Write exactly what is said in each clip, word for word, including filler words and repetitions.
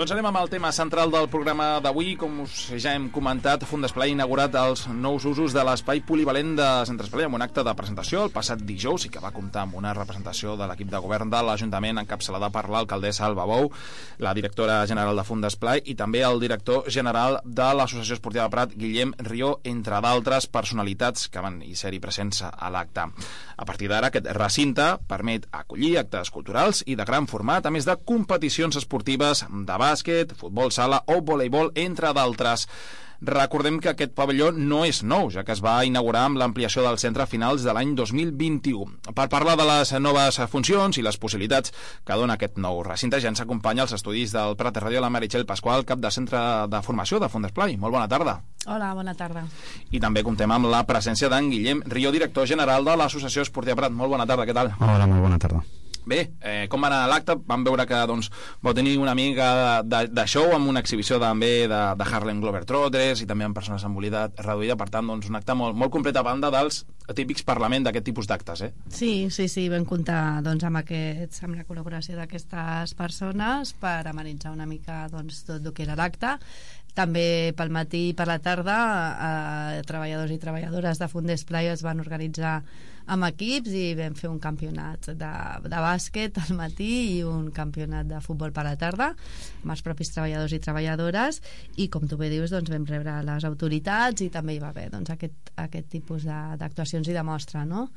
Doncs anem amb el tema central del programa d'avui. Com us ja hem comentat, Fundesplai ha inaugurat els nous usos de l'espai polivalent de Centre Esplai amb un acte de presentació el passat dijous i que va comptar amb una representació de l'equip de govern de l'Ajuntament encapçalada per l'alcaldessa Alba Bou, la directora general de Fundesplai i també el director general de l'Associació Esportiva de Prat, Guillem Rió, entre d'altres personalitats que van hi ser-hi presents a l'acte. A partir d'ara, aquest recinte permet acollir actes culturals i de gran format, a més de competicions esportives de bàsquet, futbol sala o voleibol, entre d'altres. Recordem que aquest pavelló no és nou, ja que es va inaugurar amb l'ampliació del centre a finals de l'any dos mil vint-i-u. Per parlar de les noves funcions i les possibilitats que dona aquest nou recinte, ja ens acompanya als estudis del Prat de Ràdio la Meritxell Pasqual, cap de centre de formació de Fundesplai. Molt bona tarda. Hola, bona tarda. I també comptem amb la presència d'en Guillem Rió, director general de l'Associació Esportiva Prat. Molt bona tarda, què tal? Hola, molt bona tarda. Bé, eh, com va anar l'acte? Vam veure que doncs, vau tenir una mica de, de show amb una exhibició també de, de Harlem Globetrotters i també amb persones amb mobilitat reduïda, per tant, doncs, un acte molt, molt complet a banda dels típics parlament d'aquest tipus d'actes, eh? Sí, sí, sí, vam comptar doncs, amb, aquests, amb la col·laboració d'aquestes persones per amenitzar una mica doncs, tot el que era l'acte. També pel matí i per la tarda eh, treballadors i treballadores de Fundesplai es van organitzar amb equips i vam fer un campionat de, de bàsquet al matí i un campionat de futbol per la tarda amb els propis treballadors i treballadores, i com tu bé dius, doncs, vam rebre les autoritats i també hi va haver doncs, aquest, aquest tipus d'actuacions i de mostra, no?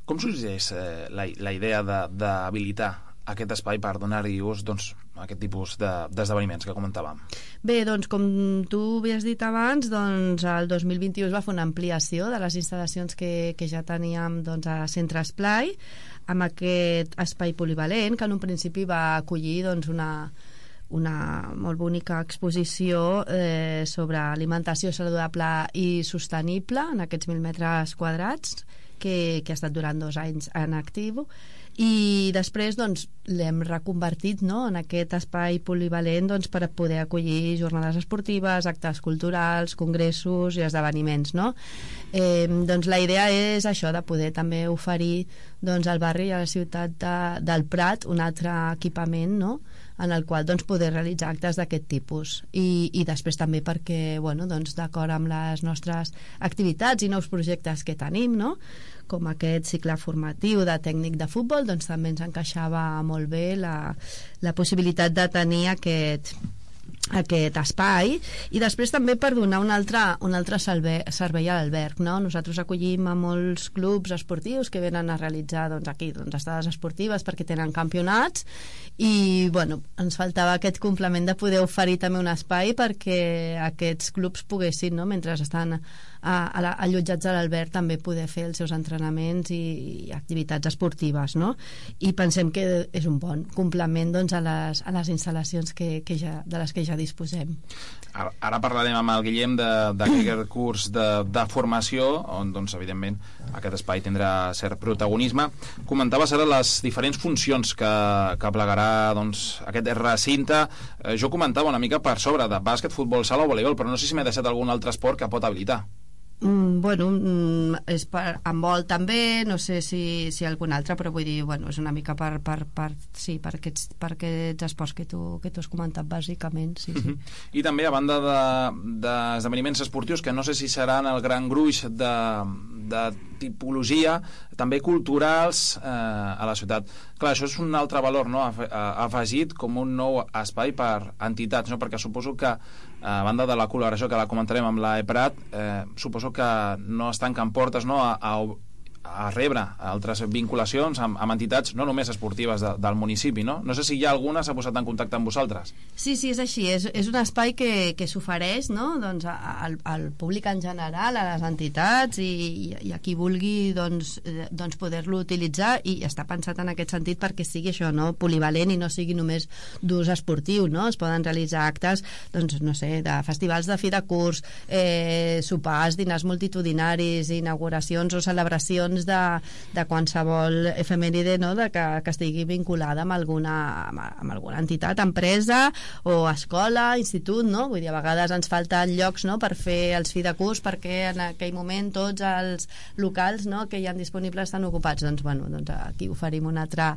Com sorgeix eh, la, la idea d'habilitar aquest espai per donar-hi ús doncs, a aquest tipus d'esdeveniments que comentàvem? Bé, doncs com tu havies dit abans, doncs el dos mil vint-i-u es va fer una ampliació de les instal·lacions que, que ja teníem doncs, a Centre Esplai, amb aquest espai polivalent que en un principi va acollir doncs, una una molt bonica exposició eh, sobre alimentació saludable i sostenible en aquests mil metres quadrats que, que ha estat durant dos anys en actiu, i després doncs, l'hem reconvertit, no?, en aquest espai polivalent doncs, per poder acollir jornades esportives, actes culturals, congressos i esdeveniments, no? Eh, doncs la idea és això, de poder també oferir doncs, al barri i a la ciutat de, del Prat un altre equipament, no?, en el qual doncs, poder realitzar actes d'aquest tipus, i, i després també perquè bueno, doncs, d'acord amb les nostres activitats i nous projectes que tenim, no?, com aquest cicle formatiu de tècnic de futbol, doncs també ens encaixava molt bé la, la possibilitat de tenir aquest aquest espai, i després també per donar un altre, un altre servei, servei a l'alberg, no? Nosaltres acollim a molts clubs esportius que venen a realitzar doncs, aquí doncs, estades esportives perquè tenen campionats, i bueno, ens faltava aquest complement de poder oferir també un espai perquè aquests clubs poguessin, no? Mentre estan a, a la, allotjats a l'alberg, també poder fer els seus entrenaments i, i activitats esportives, no? I pensem que és un bon complement doncs, a, les, a les instal·lacions que, que ja, de les que ja disposem. Ara, ara parlarem amb el Guillem d'aquest curs de, de formació on doncs, evidentment aquest espai tindrà cert protagonisme. Comentaves ara les diferents funcions que, que plegarà doncs, aquest recinte. Eh, jo comentava una mica per sobre de bàsquet, futbol sala o voleibol, però no sé si m'he deixat algun altre esport que pot habilitar. Mm, bueno, mm, és per handbol també, no sé si, si algun altre, però vull dir, bueno, és una mica per, per, per, sí, per, aquests, per aquests esports que tu, que tu has comentat bàsicament, sí, sí. Uh-huh. I també a banda d'esdeveniments de, esportius, que no sé si seran el gran gruix de, de tipologia, també culturals eh, a la ciutat. Clar, això és un altre valor, no?, afegit com un nou espai per entitats, no?, perquè suposo que a banda de la col·laboració que la comentarem amb la EPRAT, eh, suposo que no es tanquen portes, no?, a, a, a rebre altres vinculacions amb, amb entitats no només esportives de, del municipi, no? No sé si hi ha alguna s'ha posat en contacte amb vosaltres. Sí, sí, és així, és, és un espai que, que s'ofereix, no?, doncs, al, al públic en general, a les entitats i, i a qui vulgui doncs, doncs poder-lo utilitzar, i està pensat en aquest sentit perquè sigui això, no?, polivalent i no sigui només d'ús esportiu, no? Es poden realitzar actes, doncs, no sé, de festivals de fi de curs, eh, sopars, dinars multitudinaris, inauguracions o celebracions celebracions de, de qualsevol efemèride, no? de que, que estigui vinculada amb alguna, amb, amb alguna entitat, empresa o escola, institut, no? Vull dir, a vegades ens falten llocs, no? per fer els fi de curs perquè en aquell moment tots els locals, no? que hi ha disponibles estan ocupats. Doncs, bueno, doncs aquí oferim una altra,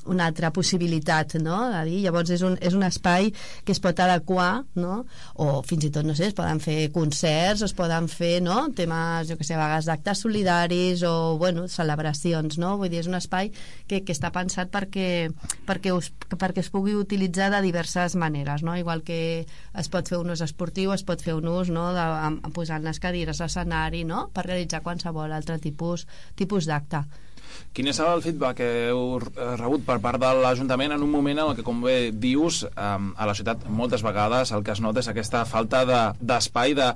una altra possibilitat, no? de dir, llavors és un, és un espai que es pot adequar, no? o fins i tot, no sé, es poden fer concerts, es poden fer, no? temes, jo que sé, a vegades d'actes solidaris o, bueno, celebracions, no? Vull dir, és un espai que, que està pensat perquè, perquè, us, perquè es pugui utilitzar de diverses maneres, no? Igual que es pot fer un ús esportiu, es pot fer un ús, no? de, amb, posant les cadires a l'escenari, no? per realitzar qualsevol altre tipus, tipus d'acte. Quin és el feedback que heu rebut per part de l'Ajuntament en un moment en el que, com bé dius, a la ciutat moltes vegades el que es nota és aquesta falta d'espai, de,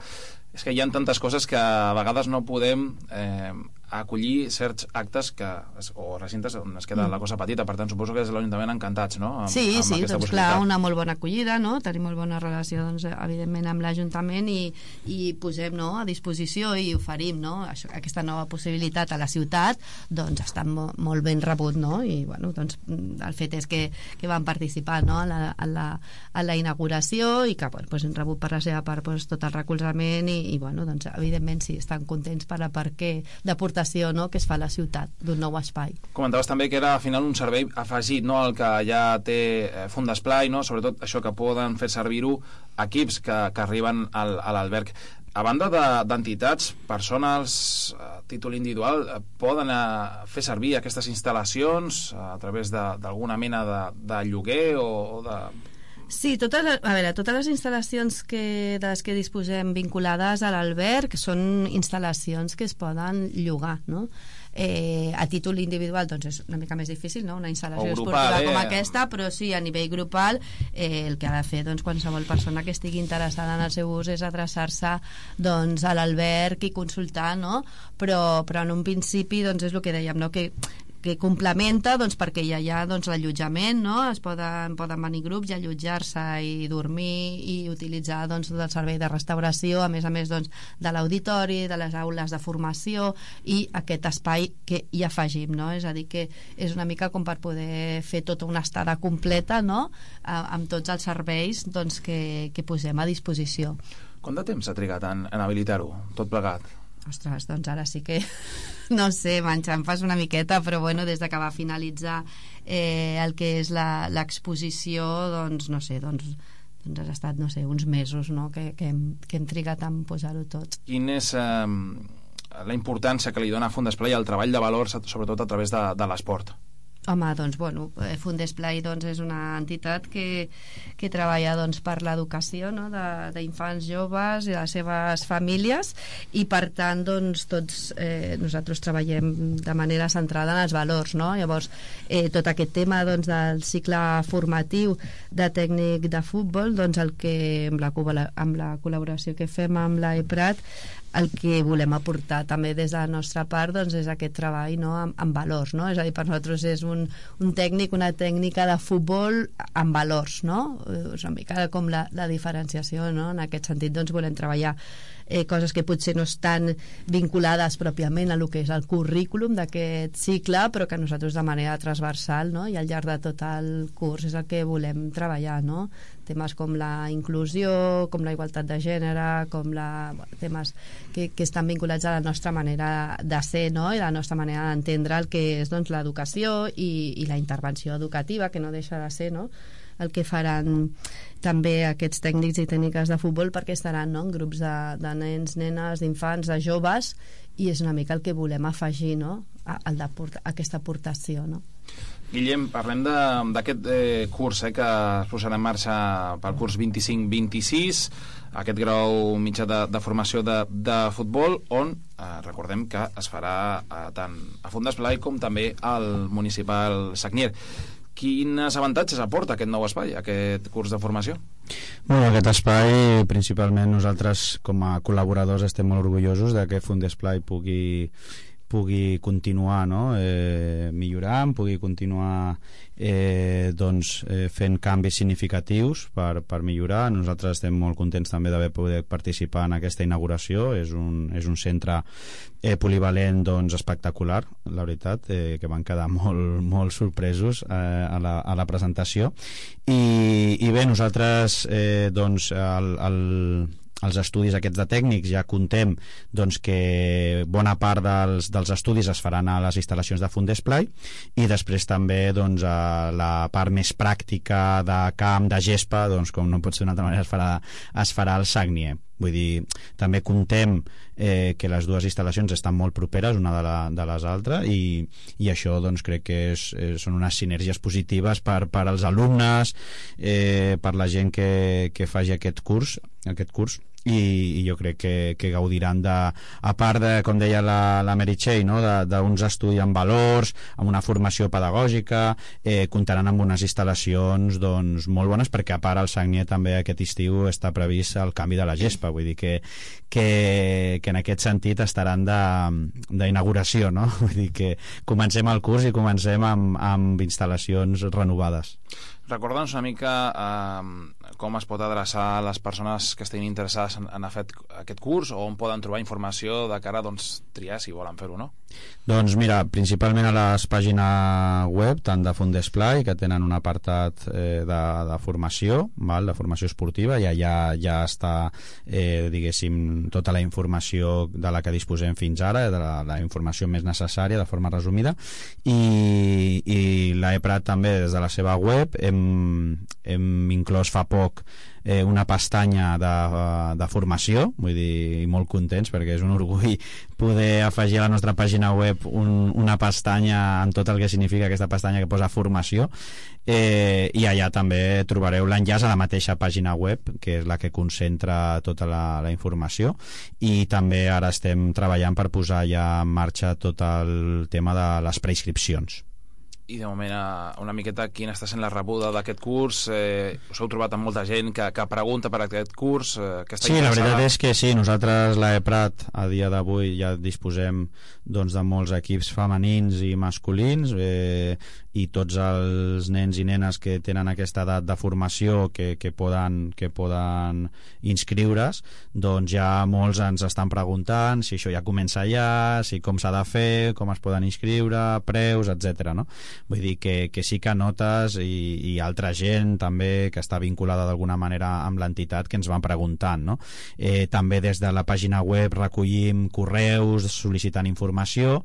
és que hi ha tantes coses que a vegades no podem eh, acollir certs actes que, o recintes on es queda mm. la cosa petita, per tant suposo que és l'Ajuntament encantats, no? Amb, sí, amb sí, doncs clar, una molt bona acollida, no? Tenim molt bona relació, doncs, evidentment, amb l'Ajuntament i, i posem, no?, a disposició i oferim, no?, això, aquesta nova possibilitat a la ciutat, doncs està mo molt ben rebut, no? I, bueno, doncs el fet és que, que van participar, no?, a la, a la, a la inauguració i que, bueno, doncs hem rebut per la seva part doncs, tot el recolzament i, i bueno, doncs evidentment sí, estan contents per la part que d'aportació, no?, que es fa a la ciutat d'un nou espai. Comentaves també que era al final un servei afegit, no?, el que ja té eh, Fundesplai, no?, sobretot això que poden fer servir-ho equips que, que arriben al, a l'alberg. A banda d'entitats, de, persones a títol individual eh, poden eh, fer servir aquestes instal·lacions a través d'alguna mena de, de lloguer o, o de... Sí, totes, a veure, totes les instal·lacions que, de les que disposem vinculades a l'alberg són instal·lacions que es poden llogar, no? Eh, a títol individual doncs és una mica més difícil, no? Una instal·lació esportiva eh? com aquesta, però sí, a nivell grupal eh, el que ha de fer doncs, qualsevol persona que estigui interessada en el seu ús és adreçar-se doncs, a l'alberg i consultar, no? Però, però en un principi doncs, és el que dèiem, no? que que complementa doncs, perquè ja hi ha doncs, l'allotjament, no? Es poden, poden venir grups i allotjar-se i dormir i utilitzar doncs, tot el servei de restauració, a més a més doncs, de l'auditori, de les aules de formació i aquest espai que hi afegim, no? És a dir, que és una mica com per poder fer tota una estada completa, no? Amb tots els serveis doncs, que, que posem a disposició. Quant de temps ha trigat en, en habilitar-ho, tot plegat? Ostres, doncs ara sí que no sé, m'enxampes una miqueta, però bueno, des de que va finalitzar eh, el que és l'exposició, doncs no sé, doncs, doncs ha estat, no sé, uns mesos, no?, que, que, hem, que hem trigat en posar-ho tot. Quin és eh, la importància que li dona Fundesplai al treball de valors, sobretot a través de, de l'esport? Home, doncs, bueno, Fundesplai doncs, és una entitat que, que treballa doncs, per l'educació, no?, d'infants, joves i les seves famílies i per tant doncs, tots eh, nosaltres treballem de manera centrada en els valors, no? Llavors eh, tot aquest tema doncs, del cicle formatiu de tècnic de futbol, doncs el que amb la, amb la col·laboració que fem amb l'A E Prat, el que volem aportar també des de la nostra part doncs, és aquest treball, no?, amb, amb valors, no? És a dir, per nosaltres és un, un tècnic, una tècnica de futbol amb valors, no? És una mica com la, la diferenciació, no? En aquest sentit doncs, volem treballar eh, coses que potser no estan vinculades pròpiament a lo que és el currículum d'aquest cicle, però que nosaltres de manera transversal, no?, i al llarg de tot el curs és el que volem treballar, no? Temes com la inclusió, com la igualtat de gènere, com la, temes que, que estan vinculats a la nostra manera de ser, no?, i la nostra manera d'entendre el que és doncs, l'educació i, i la intervenció educativa, que no deixa de ser, no?, el que faran també aquests tècnics i tècniques de futbol, perquè estaran, no?, en grups de, de nens, nenes, d'infants, de joves, i és una mica el que volem afegir, no?, a, a, a aquesta aportació, no? Guillem, parlem d'aquest eh, curs eh, que es posarà en marxa pel curs vint-i-cinc vint-i-sis, aquest grau mitjà de, de formació de, de futbol, on eh, recordem que es farà eh, tant a Fundesplai com també al municipal Sagnier. Quins avantatges aporta aquest nou espai, aquest curs de formació? Bueno, aquest espai, principalment nosaltres com a col·laboradors estem molt orgullosos de que Fundesplai pugui pugui continuar, no? eh, millorant, pugui continuar eh, doncs, eh, fent canvis significatius per, per millorar. Nosaltres estem molt contents també d'haver pogut participar en aquesta inauguració. És un, és un centre eh, polivalent doncs, espectacular, la veritat, eh, que van quedar molt, molt sorpresos eh, a, la, a la presentació. I, i bé, nosaltres eh, doncs, el, el els estudis aquests de tècnics ja contem doncs, que bona part dels, dels estudis es faran a les instal·lacions de Fundesplai, i després també doncs, a la part més pràctica de camp, de gespa, doncs, com no pot ser d'una altra manera, es farà, es farà al Sagnier. Vull dir, també contem eh, que les dues instal·lacions estan molt properes una de, la, de les altres, i, i això doncs, crec que és, eh, són unes sinergies positives per, per als alumnes, eh, per la gent que, que faci aquest curs, aquest curs i, i jo crec que, que gaudiran de, a part de, com deia la, la Meritxell, no? d'uns estudis amb valors, amb una formació pedagògica, eh, comptaran amb unes instal·lacions doncs, molt bones, perquè a part al Sagnier també aquest estiu està previst el canvi de la gespa, vull dir que, que, que en aquest sentit estaran d'inauguració, no? Vull dir que comencem el curs i comencem amb, amb instal·lacions renovades. Recorda'ns una mica eh, com es pot adreçar a les persones que estiguin interessades en, en fet, aquest curs, o on poden trobar informació de cara a doncs, triar si volen fer-ho, no? Doncs mira, principalment a les pàgines web, tant de Fundesplai, que tenen un apartat eh, de, de formació, val? De formació esportiva, i allà ja està, eh, diguéssim, tota la informació de la que disposem fins ara, de la, la informació més necessària, de forma resumida, i, i l'EPRAT també, des de la seva web, hem, hem inclòs fa poc eh, una pestanya de, de formació, vull dir, molt contents, perquè és un orgull poder afegir a la nostra pàgina web un, una pestanya amb tot el que significa aquesta pestanya que posa formació, eh, i allà també trobareu l'enllaç a la mateixa pàgina web, que és la que concentra tota la, la informació, i també ara estem treballant per posar ja en marxa tot el tema de les preinscripcions. I de moment una miqueta quina està sent la rebuda d'aquest curs, eh, us heu trobat amb molta gent que, que pregunta per aquest curs, eh, que està sí, interessada? La veritat és que sí, nosaltres l'EPRAT a dia d'avui ja disposem doncs, de molts equips femenins i masculins, eh, i tots els nens i nenes que tenen aquesta edat de formació que, que, poden, que poden inscriure's, doncs ja molts ens estan preguntant si això ja comença ja, si com s'ha de fer, com es poden inscriure, preus, etcètera, no? Vull dir que, que sí que notes, i, i altra gent també que està vinculada d'alguna manera amb l'entitat, que ens van preguntant, no? Eh, també des de la pàgina web recollim correus sol·licitant informació,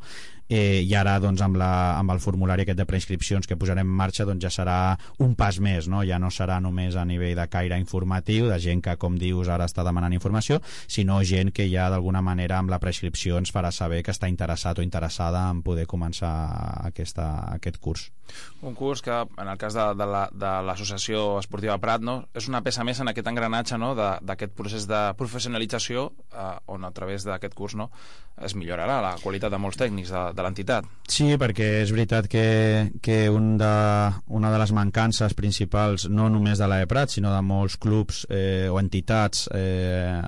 eh, i ara doncs, amb, la, amb el formulari aquest de preinscripcions que posarem en marxa, doncs ja serà un pas més, no? Ja no serà només a nivell de caire informatiu, de gent que, com dius, ara està demanant informació, sinó gent que ja d'alguna manera amb la preinscripció ens farà saber que està interessat o interessada en poder començar aquesta, aquest curs. Un curs que, en el cas de, de l'Associació la, Esportiva Prat, no? És una peça més en aquest engranatge, no? d'aquest procés de professionalització, eh, on a través d'aquest curs, no? es millorarà la qualitat de molts tècnics de, de l'entitat. Sí, perquè és veritat que, que un de, una de les mancances principals, no només de l'EPRAT, sinó de molts clubs eh, o entitats eh,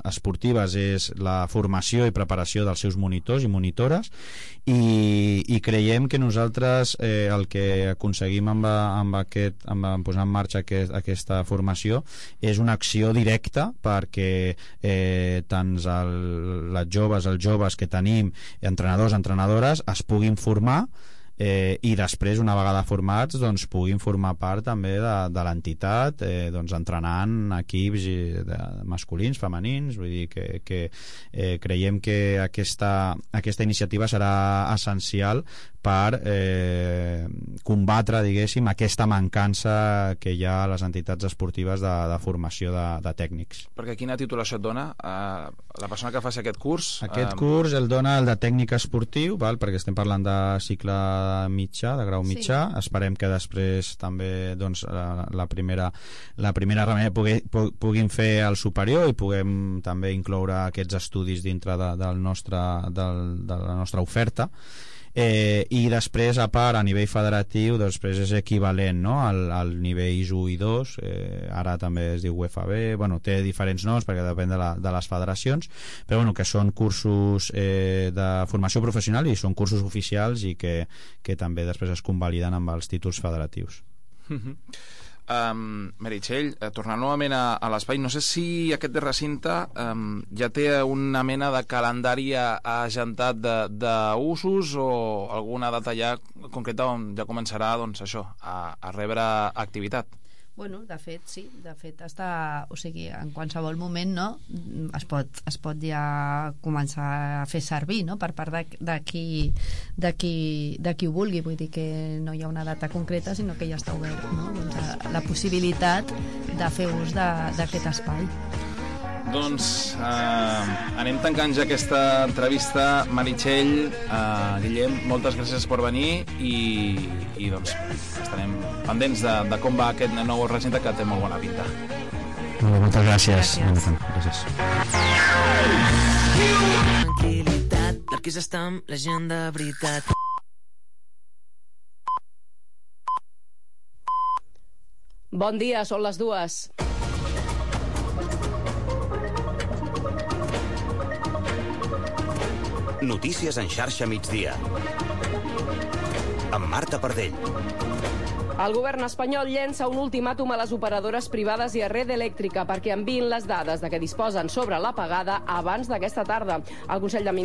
esportives, és la formació i preparació dels seus monitors i monitores, i, i creiem que nosaltres eh, el que aconseguim amb, amb, aquest, amb, amb posar en marxa aquest, aquesta formació és una acció directa perquè eh, tant el, les joves, els joves que tenim, entrenadors, entrenadores, es puguin formar, eh, i després, una vegada formats, doncs, puguin formar part també de, de l'entitat, eh, doncs, entrenant equips de, masculins, femenins. Vull dir que, que eh, creiem que aquesta, aquesta iniciativa serà essencial per eh, combatre, diguéssim, aquesta mancança que hi ha a les entitats esportives de, de formació de, de tècnics. Perquè quina titulació et dona eh, la persona que faci aquest curs? Aquest eh... curs el dona el de tècnic esportiu, val? Perquè estem parlant de cicle mitjà, de grau mitjà. Sí. Esperem que després també doncs, la, la primera la primera remei pugui, puguin fer el superior i puguem també incloure aquests estudis dintre de, del nostre, del, de la nostra oferta. eh, i després a part a nivell federatiu després és equivalent, no? al, al nivells u i dos, eh, ara també es diu U F B, bueno, té diferents noms perquè depèn de, la, de les federacions, però bueno, que són cursos eh, de formació professional i són cursos oficials i que, que també després es convaliden amb els títols federatius. Mm-hmm. Um, Meritxell, eh, tornant novament a, a l'espai, no sé si aquest recinte um, ja té una mena de calendari agentat d'usos o alguna data ja concreta on ja començarà, doncs, això, a, a rebre activitat. Bueno, de fet, sí, de fet està, o sigui, en qualsevol moment, no, es pot, es pot ja començar a fer servir, no, per part de, de, qui, de, qui, de qui ho vulgui, vull dir que no hi ha una data concreta, sinó que ja està obert, no, doncs, la, la possibilitat de fer ús d'aquest espai. Doncs eh, anem tancant ja aquesta entrevista. Meritxell, eh, Guillem, moltes gràcies per venir i, i doncs estarem pendents de, de com va aquest nou recinte que té molt bona pinta. Moltes gràcies. Gràcies. Gràcies. Tranquil·litat, perquè és estar amb la gent de veritat. Bon dia, són les dues. Notícies en xarxa migdia. Amb Marta Pardell. El govern espanyol llença un ultimàtum a les operadores privades i a Red Eléctrica perquè enviïn les dades de què disposen sobre l'apagada abans d'aquesta tarda. El Consell de Ministres